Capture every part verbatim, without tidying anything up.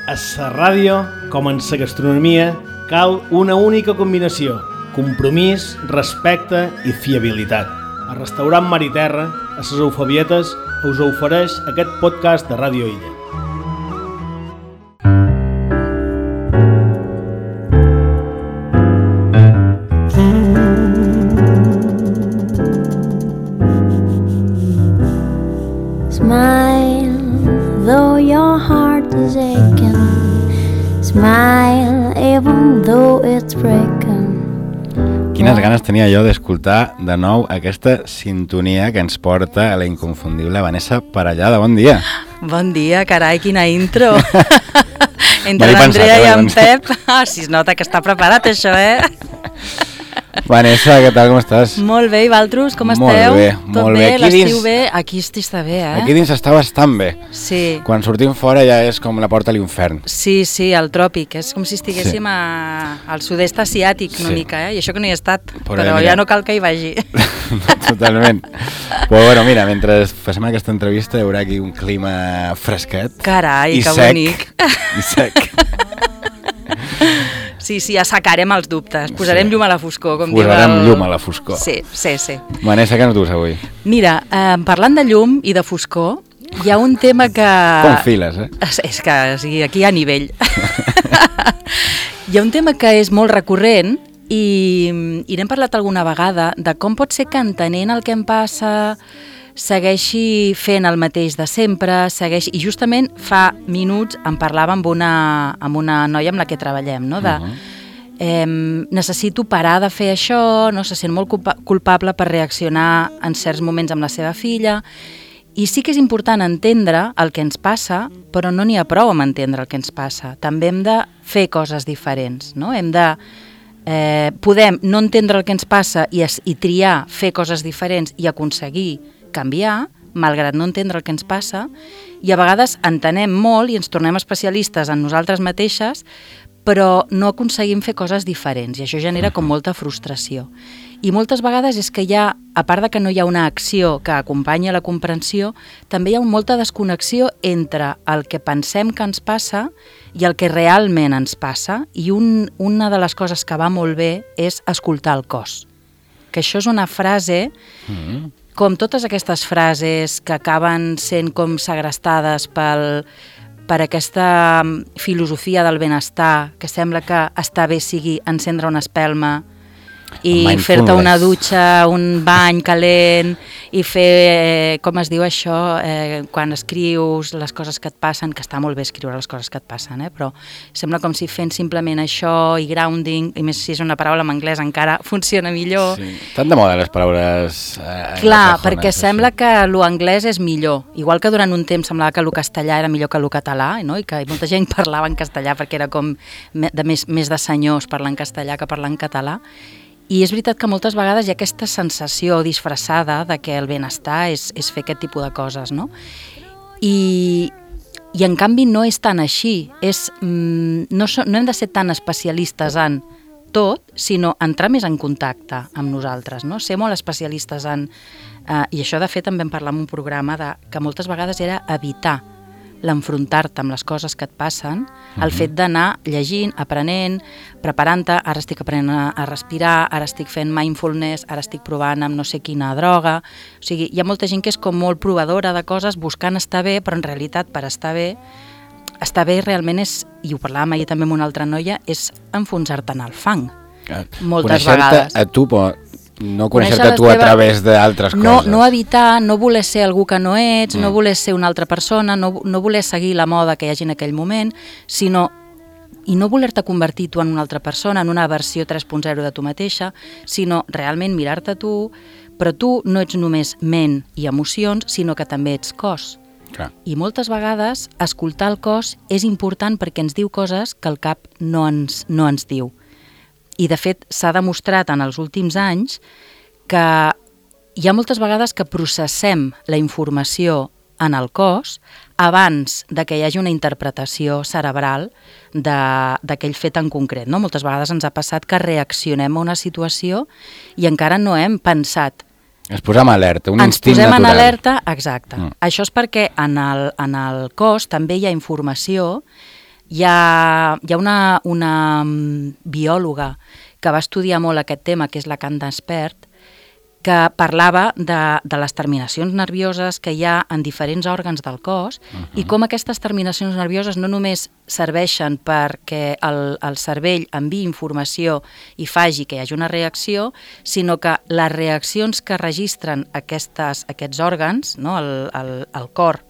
A la ràdio, com en la gastronomia, cal una única combinació: compromís, respecte i fiabilitat. El restaurant Mar i Terra, a les Eufabietes, us ofereix aquest podcast de Ràdio Illa. Smile, though your heart is aching. Smile, even though it's breaking. Quines ganes tenia jo d'escoltar de nou aquesta sintonia que ens porta a la inconfundible Vanessa Parellada. Bon dia. Bon dia, carai, quina intro. Entre l'Andrea i en Pep. Ah, si es nota que està preparat això, eh? Vanessa, què tal, com estàs? Molt bé, i vosaltres, com molt esteu? Bé, Tot molt bé, bé. l'estiu dins... bé? Aquí està bé, eh? Aquí dins està bastant bé. Sí. Quan sortim fora ja és com la porta a l'infern. Sí, sí, al tròpic. És com si estiguéssim sí. a... al sud-est asiàtic una sí. mica, eh? I això que no hi he estat, però, però ja no cal que hi vagi. Totalment. Però bueno, mira, mentre fem aquesta entrevista hi haurà aquí un clima fresquet. Carai, i que sec, bonic. I sec. Sí, sí, assecarem els dubtes, posarem sí. llum a la foscor, com Posarem diu el... llum a la foscor. Sí, sí, sí. Vanessa, què no dus avui? Mira, eh, parlant de llum i de foscor, hi ha un tema que... Com files, eh? És, és que o sigui, aquí hi ha nivell. Hi ha un tema que és molt recurrent i, i n'hem parlat alguna vegada de com pot ser que entenent el que em passa segueixi fent el mateix de sempre, segueixi... I justament fa minuts em parlava amb una, amb una noia amb la que treballem, no? De, uh-huh. eh, necessito parar de fer això, no? Se sent molt culpa- culpable per reaccionar en certs moments amb la seva filla, i sí que és important entendre el que ens passa, però no n'hi ha prou amb entendre el que ens passa. També hem de fer coses diferents, no? Hem de... Eh, podem no entendre el que ens passa i, es, i triar fer coses diferents i aconseguir canviar, malgrat no entendre el que ens passa, i a vegades entenem molt i ens tornem especialistes en nosaltres mateixes, però no aconseguim fer coses diferents, i això genera com molta frustració. I moltes vegades és que hi ha, a part de que no hi ha una acció que acompanyi la comprensió, també hi ha molta desconnexió entre el que pensem que ens passa i el que realment ens passa, i un, una de les coses que va molt bé és escoltar el cos. Que això és una frase... Mm. Com totes aquestes frases que acaben sent com segrestades pel, per aquesta filosofia del benestar, que sembla que estar bé sigui encendre una espelma i fer-te una dutxa, un bany calent, i fer, eh, com es diu això, eh, quan escrius les coses que et passen, que està molt bé escriure les coses que et passen, eh, però sembla com si fent simplement això i grounding, i més si és una paraula en anglès encara funciona millor. Sí. Estan de moda les paraules... Eh, Clar, perquè així. Sembla que l'anglès és millor, igual que durant un temps semblava que el castellà era millor que el català, no? I que molta gent parlava en castellà perquè era com de més, més de senyors parlar en castellà que parlar en català. I és veritat que moltes vegades hi ha aquesta sensació disfressada de que el benestar és, és fer aquest tipus de coses, no? I, i en canvi no és tan així. És, mm, no, so, no hem de ser tan especialistes en tot, sinó entrar més en contacte amb nosaltres, no? Ser molt especialistes en... Eh, I això, de fet, també en parlar en un programa de, que moltes vegades era evitar l'enfrontar-te amb les coses que et passen, uh-huh. el fet d'anar llegint, aprenent, preparant-te, ara estic aprenent a, a respirar, ara estic fent mindfulness, ara estic provant amb no sé quina droga. O sigui, hi ha molta gent que és com molt provadora de coses, buscant estar bé, però en realitat per estar bé, estar bé realment és, i ho parlàvem ahir també amb una altra noia, és enfonsar-te en el fang. Ah, moltes vegades. Conèixer-te a tu, però no conèixer-te tu a través d'altres coses. No, no evitar, no voler ser algú que no ets, mm. no voler ser una altra persona, no, no voler seguir la moda que hi hagi en aquell moment, sinó, i no voler-te convertir tu en una altra persona, en una versió tres punt zero de tu mateixa, sinó realment mirar-te tu, però tu no ets només ment i emocions, sinó que també ets cos. Clar. I moltes vegades escoltar el cos és important perquè ens diu coses que el cap no ens, no ens diu. I, de fet, s'ha demostrat en els últims anys que hi ha moltes vegades que processem la informació en el cos abans de que hi hagi una interpretació cerebral d'aquell fet en concret. No? Moltes vegades ens ha passat que reaccionem a una situació i encara no hem pensat. Ens posem alerta, un ens instint natural. Ens posem en alerta, exacte. Mm. Això és perquè en el, en el cos també hi ha informació Hi ha, hi ha una, una biòloga que va estudiar molt aquest tema, que és la Lacan Despert, que parlava de, de les terminacions nervioses que hi ha en diferents òrgans del cos uh-huh. i com aquestes terminacions nervioses no només serveixen perquè el, el cervell enviï informació i faci que hi hagi una reacció, sinó que les reaccions que registren aquestes, aquests òrgans, no? el, el, el cor,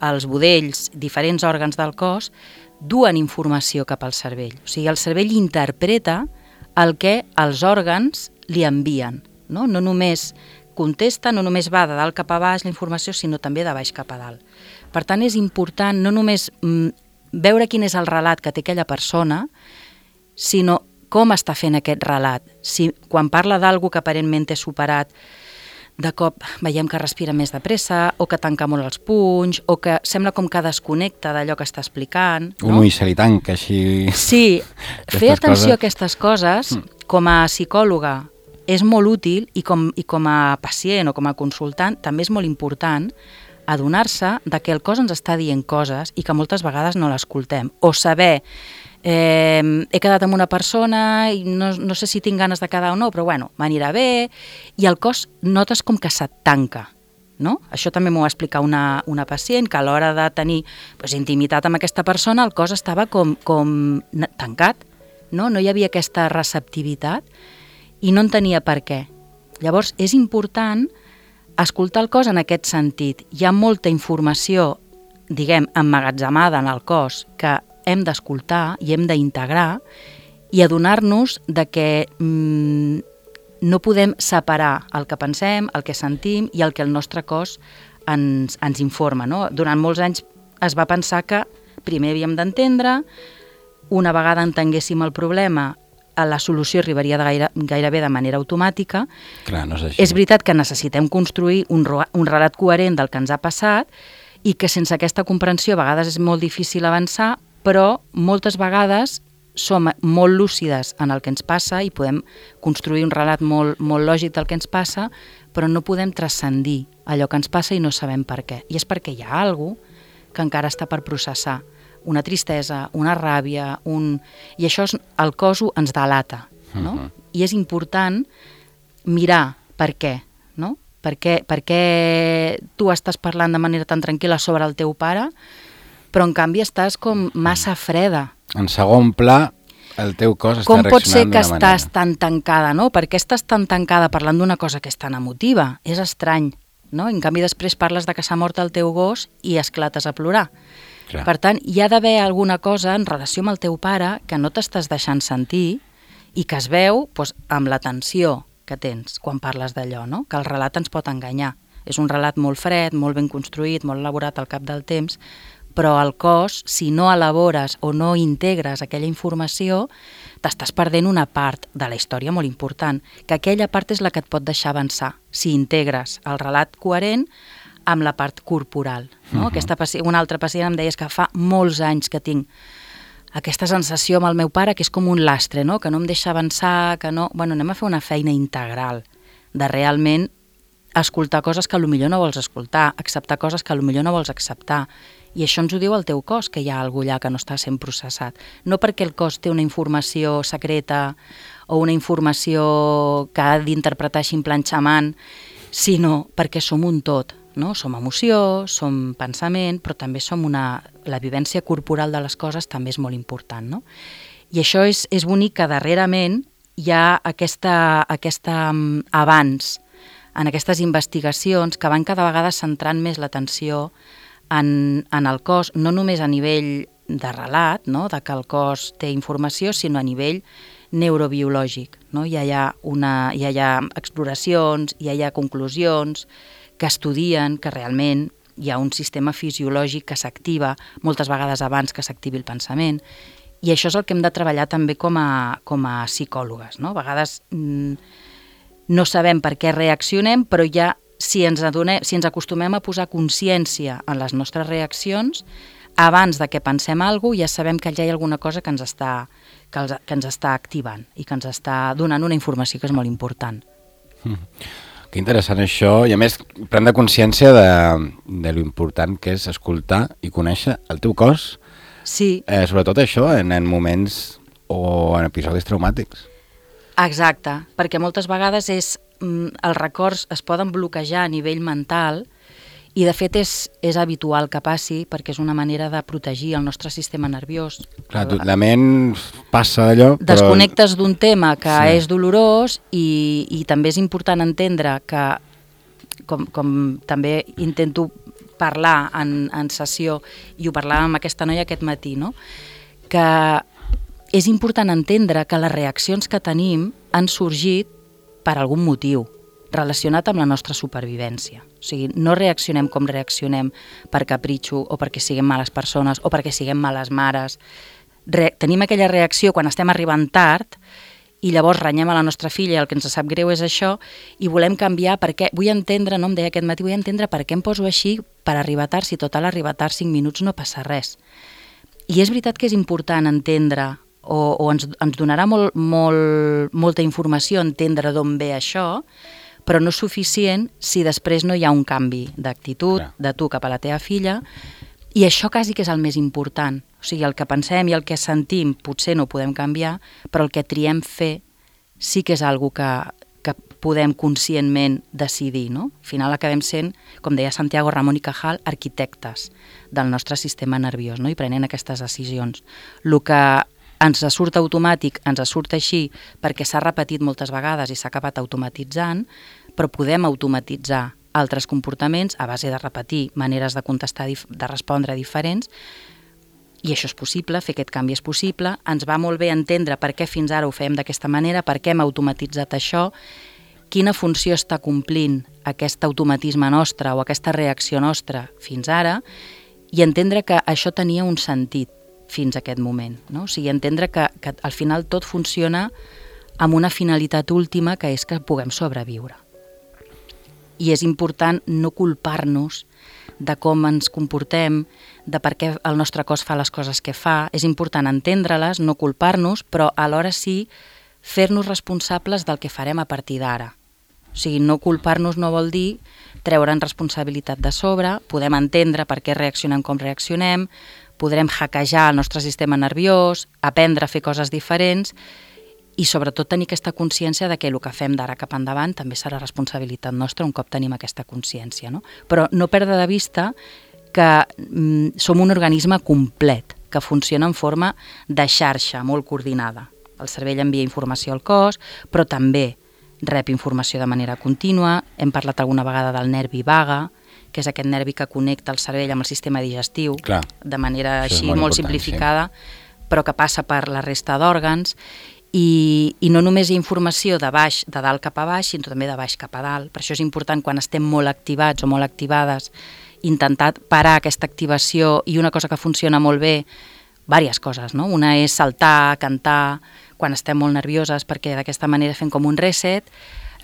els budells, diferents òrgans del cos, duen informació cap al cervell. O sigui, el cervell interpreta el que els òrgans li envien. No? no només contesta, no només va de dalt cap a baix la informació, sinó també de baix cap a dalt. Per tant, és important no només mm, veure quin és el relat que té aquella persona, sinó com està fent aquest relat. Si quan parla d'algú que aparentment té superat, de cop veiem que respira més de pressa, o que tanca molt els punys, o que sembla com que desconnecta d'allò que està explicant. Un no? ull se li tanca així... Sí, fer atenció coses. a aquestes coses, com a psicòloga, és molt útil i com, i com a pacient o com a consultant també és molt important adonar-se de que el cos ens està dient coses i que moltes vegades no l'escoltem. O saber, eh, he quedat amb una persona i no, no sé si tinc ganes de quedar o no, però bueno, m'anirà bé, i el cos notes com que se't tanca. No? Això també m'ho va explicar una, una pacient, que a l'hora de tenir pues, intimitat amb aquesta persona el cos estava com, com tancat, no? No hi havia aquesta receptivitat, i no entenia per què. Llavors, és important escoltar el cos en aquest sentit. Hi ha molta informació, diguem, emmagatzemada en el cos que hem d'escoltar i hem d'integrar i adonar-nos de que mmm, no podem separar el que pensem, el que sentim i el que el nostre cos ens, ens informa. No? Durant molts anys es va pensar que primer havíem d'entendre, una vegada entenguéssim el problema, la solució arribaria de gaire, gairebé de manera automàtica. Clar, no és així. És veritat que necessitem construir un, un relat coherent del que ens ha passat i que sense aquesta comprensió a vegades és molt difícil avançar, però moltes vegades som molt lúcides en el que ens passa i podem construir un relat molt, molt lògic del que ens passa, però no podem transcendir allò que ens passa i no sabem per què. I és perquè hi ha alguna cosa que encara està per processar. Una tristesa, una ràbia, un... i això és, el cos ens delata, no? Uh-huh. I és important mirar per què, no? Per què, per què tu estàs parlant de manera tan tranquil·la sobre el teu pare, però en canvi estàs com massa freda. En segon pla, el teu cos està com reaccionant d'una manera. Com pot ser que estàs tan tancada, no? Per què estàs tan tancada parlant d'una cosa que és tan emotiva? És estrany, no? En canvi després parles de que s'ha mort el teu gos i esclates a plorar. Clar. Per tant, hi ha d'haver alguna cosa en relació amb el teu pare que no t'estàs deixant sentir i que es veu doncs, amb la tensió que tens quan parles d'allò, no? Que el relat ens pot enganyar. És un relat molt fred, molt ben construït, molt elaborat al cap del temps, però el cos, si no elabores o no integres aquella informació, t'estàs perdent una part de la història molt important, que aquella part és la que et pot deixar avançar, si integres el relat coherent amb la part corporal. No? Uh-huh. Aquesta pacient, una altra pacient em deia que fa molts anys que tinc aquesta sensació amb el meu pare que és com un lastre, no? Que no em deixa avançar, que no... Bueno, anem a fer una feina integral de realment escoltar coses que potser no vols escoltar, acceptar coses que potser no vols acceptar. I això ens ho diu el teu cos, que hi ha alguna cosa allà que no està sent processat. No perquè el cos té una informació secreta o una informació que ha d'interpretar així en plan xaman, sinó perquè som un tot. No? Som emoció, som pensament, però també som una... La vivència corporal de les coses també és molt important, no? I això és, és bonic que darrerament hi ha aquesta, aquesta um, avanç en aquestes investigacions que van cada vegada centrant més l'atenció en, en el cos, no només a nivell de relat, no? De que el cos té informació, sinó a nivell neurobiològic. No? Hi ha, una, hi ha exploracions, hi ha conclusions que estudien que realment hi ha un sistema fisiològic que s'activa moltes vegades abans que s'activi el pensament, i això és el que hem de treballar també com a, com a psicòlogues. No? A vegades mm, no sabem per què reaccionem, però ja si ens, adonem, si ens acostumem a posar consciència en les nostres reaccions, abans de que pensem alguna cosa, ja sabem que allà hi ha alguna cosa que ens està, que els, que ens està activant i que ens està donant una informació que és molt important. Mm. Que interessant això, i a més prendre consciència de, de lo important que és escoltar i conèixer el teu cos Sí. Eh, sobretot això en, en moments o en episodis traumàtics. Exacte, perquè moltes vegades és, mm, els records es poden bloquejar a nivell mental i de fet és, és habitual que passi perquè és una manera de protegir el nostre sistema nerviós. Clar, tu, la ment passa d'allò, però... Desconnectes d'un tema que Sí. és dolorós i, i també és important entendre que, com, com també intento parlar en, en sessió, i ho parlàvem amb aquesta noia aquest matí, no? Que és important entendre que les reaccions que tenim han sorgit per algun motiu relacionat amb la nostra supervivència. O sigui, no reaccionem com reaccionem per capritxo o perquè siguem males persones o perquè siguem males mares. Re- tenim aquella reacció quan estem arribant tard i llavors renyem a la nostra filla i el que ens sap greu és això i volem canviar perquè vull entendre, no em deia aquest matí, vull entendre per què em poso així per arribar tard, si total arribar tard cinc minuts no passa res. I és veritat que és important entendre o, o ens, ens donarà molt, molt, molta informació entendre d'on ve això, però no és suficient si després no hi ha un canvi d'actitud Clar. de tu cap a la teva filla, i això quasi que és el més important. O sigui, el que pensem i el que sentim potser no ho podem canviar, però el que triem fer sí que és algo que, que podem conscientment decidir, no? Al final acabem sent, com deia Santiago Ramón y Cajal, arquitectes del nostre sistema nerviós, no? I prenent aquestes decisions. El que ens surt automàtic, ens surt així perquè s'ha repetit moltes vegades i s'ha acabat automatitzant, però podem automatitzar altres comportaments a base de repetir maneres de contestar, de respondre diferents, i això és possible, fer aquest canvi és possible. Ens va molt bé entendre per què fins ara ho fem d'aquesta manera, per què hem automatitzat això, quina funció està complint aquest automatisme nostre o aquesta reacció nostra fins ara, i entendre que això tenia un sentit fins a aquest moment, no? O sigui, entendre que, que al final tot funciona amb una finalitat última, que és que puguem sobreviure. I és important no culpar-nos de com ens comportem, de per què el nostre cos fa les coses que fa. És important entendre-les, no culpar-nos, però alhora sí fer-nos responsables del que farem a partir d'ara. O sigui, no culpar-nos no vol dir treure'n responsabilitat de sobre, podem entendre per què reaccionem com reaccionem, podrem hackejar el nostre sistema nerviós, aprendre a fer coses diferents i sobretot tenir aquesta consciència de que el que fem d'ara cap endavant també serà responsabilitat nostra un cop tenim aquesta consciència, no? Però no perdre de vista que mm, som un organisme complet, que funciona en forma de xarxa molt coordinada. El cervell envia informació al cos, però també rep informació de manera contínua. Hem parlat alguna vegada del nervi vaga, que és aquest nervi que connecta el cervell amb el sistema digestiu, Clar. de manera Això és així molt molt, important, simplificada, sí. Però que passa per la resta d'òrgans, i, i no només hi ha informació de baix, de dalt cap a baix, sinó també de baix cap a dalt. Per això és important, quan estem molt activats o molt activades, intentar parar aquesta activació, i una cosa que funciona molt bé, diverses coses, no? Una és saltar, cantar, quan estem molt nervioses, perquè d'aquesta manera fem com un reset.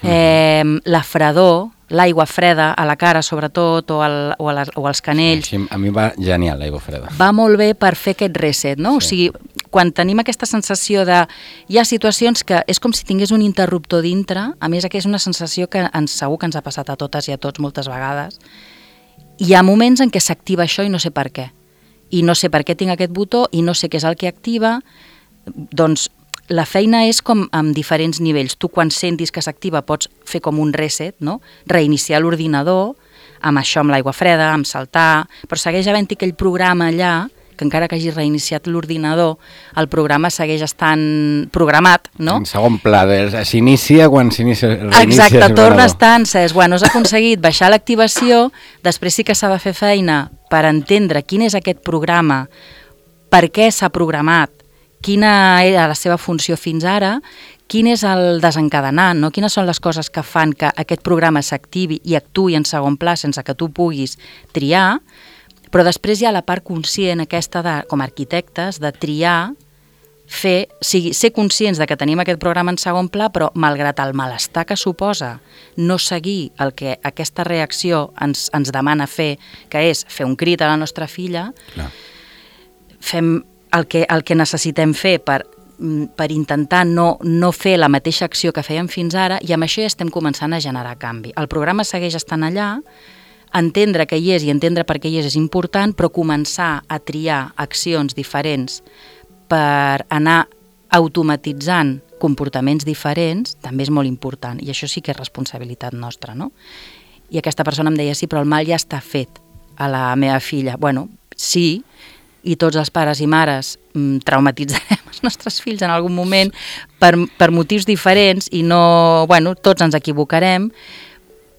Eh, la fredor, l'aigua freda a la cara sobretot, o, al, o, a les, o als canells, Així, a mi va genial l'aigua freda. va molt bé per fer aquest reset, no? Sí. O sigui, quan tenim aquesta sensació de... Hi ha situacions que és com si tingués un interruptor dintre, a més que és una sensació que ens, segur que ens ha passat a totes i a tots moltes vegades. Hi ha moments en què s'activa això i no sé per què. I no sé per què tinc aquest botó i no sé què és el que activa. Doncs la feina és com amb diferents nivells. Tu, quan sentis que s'activa, pots fer com un reset, no? Reiniciar l'ordinador, amb això, amb l'aigua freda, amb saltar, però segueix havent-hi aquell programa allà, que encara que hagis reiniciat l'ordinador, el programa segueix estant programat, no? En segon pla, de- s'inicia quan s'inicia, reinicia Exacte, l'ordinador. torna a estar encès. Bueno, has aconseguit baixar l'activació, després sí que s'ha de fer feina per entendre quin és aquest programa, per què s'ha programat, quina era la seva funció fins ara, quin és el desencadenant, no? Quines són les coses que fan que aquest programa s'activi i actuï en segon pla sense que tu puguis triar, però després hi ha la part conscient aquesta de, com a arquitectes, de triar, fer, sigui, ser conscients de que tenim aquest programa en segon pla, però malgrat el malestar que suposa no seguir el que aquesta reacció ens, ens demana fer, que és fer un crit a la nostra filla, Clar. fem el que, el que necessitem fer per, per intentar no, no fer la mateixa acció que fèiem fins ara, i amb això ja estem començant a generar canvi. El programa segueix estant allà, entendre que hi és i entendre per què hi és és important, però començar a triar accions diferents per anar automatitzant comportaments diferents també és molt important, i això sí que és responsabilitat nostra, no? I aquesta persona em deia, sí, però el mal ja està fet a la meva filla. Bueno, sí, i tots els pares i mares mm, traumatitzarem els nostres fills en algun moment per, per motius diferents i no, bueno, tots ens equivocarem,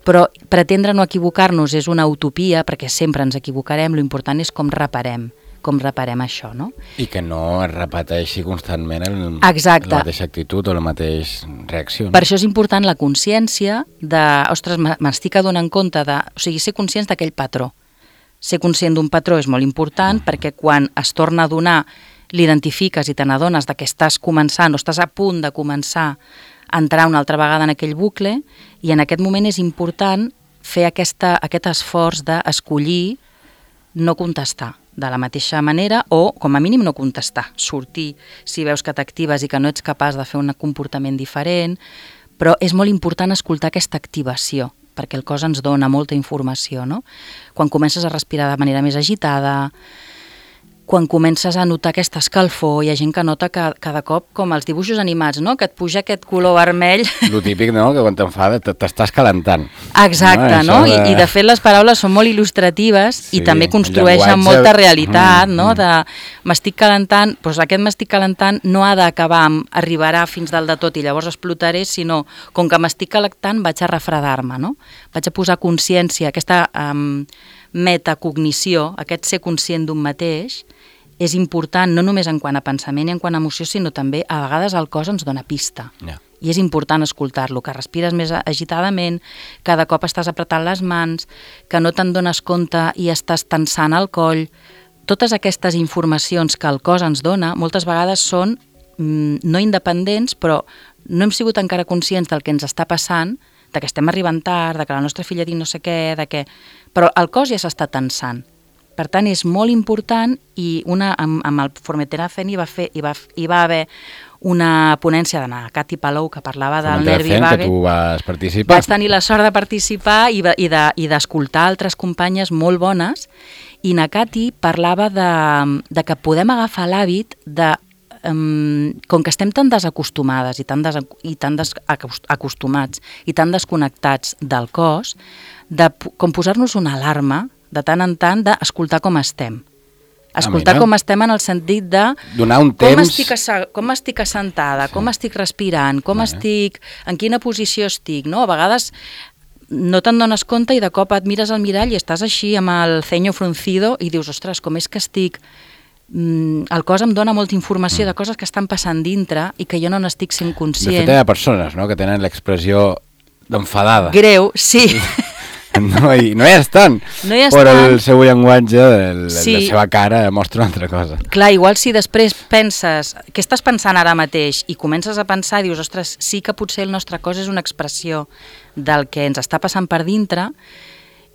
però pretendre no equivocar-nos és una utopia perquè sempre ens equivocarem, l'important és com reparem, com reparem això, no? I que no es repeteixi constantment el, Exacte. la mateixa actitud o la mateixa reacció. No? Per això és important la consciència de, ostres, m'estic adonant compte de, o sigui, ser conscients d'aquell patró. Ser conscient d'un patró és molt important mm. perquè quan es torna a donar, l'identifiques i te n'adones que estàs començant o estàs a punt de començar a entrar una altra vegada en aquell bucle, i en aquest moment és important fer aquesta, aquest esforç d'escollir no contestar de la mateixa manera, o com a mínim no contestar, sortir si veus que t'actives i que no ets capaç de fer un comportament diferent, però és molt important escoltar aquesta activació, perquè el cos ens dona molta informació, no? Quan comences a respirar de manera més agitada, quan comences a notar aquesta escalfor, hi ha gent que nota que cada cop, com els dibuixos animats, no? Que et puja aquest color vermell. Lo típic, no?, que quan t'enfada t'estàs calentant. Exacte, no? no? De... I, I de fet les paraules són molt il·lustratives sí, i també construeixen llenguatge... molta realitat, mm, no? De m'estic calentant, doncs aquest m'estic calentant no ha d'acabar amb arribarà fins dalt de tot i llavors explotaré, sinó com que m'estic calentant vaig a refredar-me, no? Vaig a posar consciència, aquesta um, metacognició, aquest ser conscient d'un mateix, és important no només en quant a pensament i en quant a emoció, sinó també a vegades el cos ens dona pista. Yeah. I és important escoltar-lo, que respires més agitadament, cada cop estàs apretant les mans, que no te'n dones compte i estàs tensant el coll. Totes aquestes informacions que el cos ens dona moltes vegades són mm, no independents, però no hem sigut encara conscients del que ens està passant, de que estem arribant tard, de que la nostra filla diu no sé què, de que... però el cos ja s'està tensant. Per tant, és molt important, i una, amb, amb el Formeteracen hi va, fer, hi, va, hi va haver una ponència de Cati Palou que parlava del nervi vague. Que tu vas participar. Vaig tenir la sort de participar i, i, de, i d'escoltar altres companyes molt bones, i na Cati parlava de, de que podem agafar l'hàbit de, um, com que estem tan desacostumades i tan, des, i tan desacostumats i tan desconnectats del cos, de com posar-nos una alarma de tant en tant d'escoltar com estem. Escoltar ah, com estem en el sentit de donar un com temps... estic, com estic assentada, sí. Com estic respirant, com ah, estic, en quina posició estic, no? A vegades no te'n dones compte i de cop et mires al mirall i estàs així amb el ceño fruncido i dius, ostres, com és que estic... Mm, el cos em dona molta informació mm. de coses que estan passant dintre i que jo no n'estic sent conscient. De fet, hi ha persones, no?, que tenen l'expressió d'enfadada. Greu, sí. No hi, no hi estan, no hi estan, però el seu llenguatge, el, sí. la seva cara mostra una altra cosa. Clar, igual si després penses, què estàs pensant ara mateix, i comences a pensar i dius, ostres, sí que potser el nostre cos és una expressió del que ens està passant per dintre,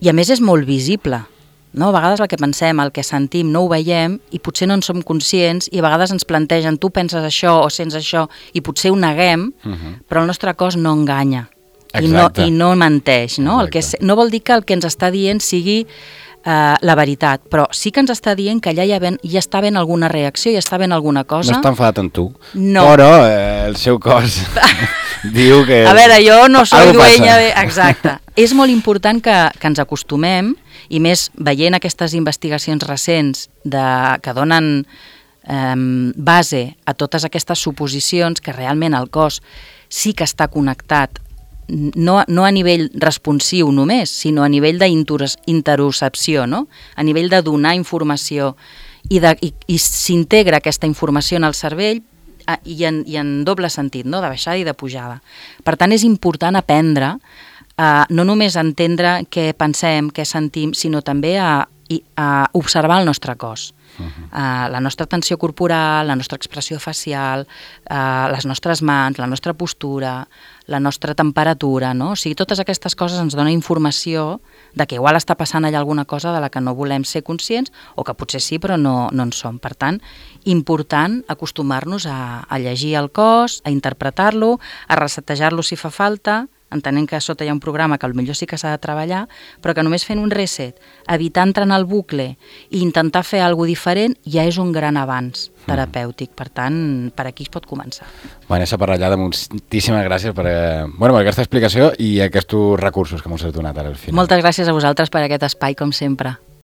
i a més és molt visible, no? A vegades el que pensem, el que sentim, no ho veiem, i potser no en som conscients, i a vegades ens plantegen, tu penses això o sents això, i potser ho neguem, uh-huh. però el nostre cos no enganya. I no, i no menteix, no? El que, no vol dir que el que ens està dient sigui uh, la veritat, però sí que ens està dient que allà ja, ben, ja està ben alguna reacció, ja està ben alguna cosa. No està enfadat amb tu, no. Però eh, el seu cos diu que... A veure, jo no soy dueña de... Exacte. És molt important que, que ens acostumem, i més veient aquestes investigacions recents de, que donen eh, base a totes aquestes suposicions que realment el cos sí que està connectat, No, no a nivell responsiu només, sinó a nivell d'interocepció, no? A nivell de donar informació, i, de, i, i s'integra aquesta informació en el cervell a, i, en, i en doble sentit, no? De baixada i de pujada. Per tant, és important aprendre a no només entendre què pensem, què sentim, sinó també a, a observar el nostre cos. Uh-huh. uh, la nostra tensió corporal, la nostra expressió facial, uh, les nostres mans, la nostra postura, la nostra temperatura, no? O sigui, totes aquestes coses ens donen informació de que igual està passant allà alguna cosa de la que no volem ser conscients, o que potser sí, però no, no en som. Per tant, important acostumar-nos a, a llegir el cos, a interpretar-lo, a resetejar-lo si fa falta, entenent que a sota hi ha un programa que potser sí que s'ha de treballar, però que només fent un reset, evitar entrar en el bucle i intentar fer alguna cosa diferent, ja és un gran avanç terapèutic. Per tant, per aquí es pot començar. Vanessa Parrallada, moltíssimes gràcies per, eh, bueno, per aquesta explicació i aquests recursos que m'ho has donat ara al final. Moltes gràcies a vosaltres per aquest espai, com sempre.